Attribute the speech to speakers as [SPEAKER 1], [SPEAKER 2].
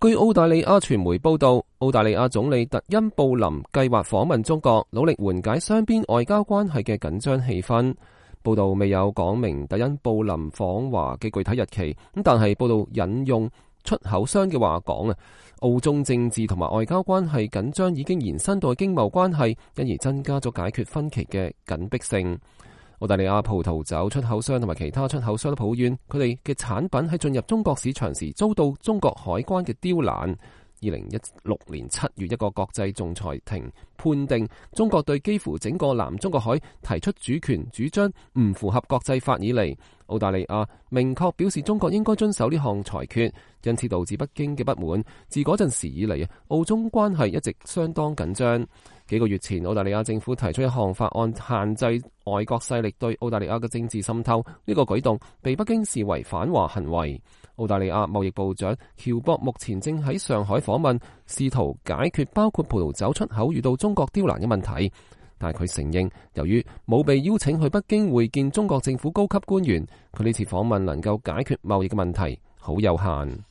[SPEAKER 1] 據澳大利亞傳媒報道，澳大利亞總理特恩布林計劃訪問中國，努力緩解雙邊外交關係嘅緊張氣氛。報道未有講明特恩布林訪華嘅具體日期，但係報道引用出口商嘅話講澳中政治同埋外交關係緊張已經延伸到經貿關係，因而增加咗解決分歧嘅緊迫性。澳大利亞葡萄酒出口商同埋其他出口商都抱怨，佢哋嘅產品喺進入中國市場時遭到中國海關嘅刁難。2016年7月，一個國際仲裁庭判定中國對幾乎整個南中國海提出主權主張唔符合國際法以嚟，澳大利亞明確表示中國應該遵守呢項裁決，因此導致北京嘅不滿。自嗰陣時以嚟，澳中關係一直相當緊張。幾個月前，澳大利亞政府提出一項法案，限制外國勢力對澳大利亞嘅政治滲透。呢個舉動被北京視為反華行為。澳大利亞貿易部長喬博目前正喺上海訪問，試圖解決包括葡萄酒出口遇到中國刁難嘅問題。但係佢承認，由於冇被邀請去北京會見中國政府高級官員，佢呢次訪問能夠解決貿易嘅問題好有限。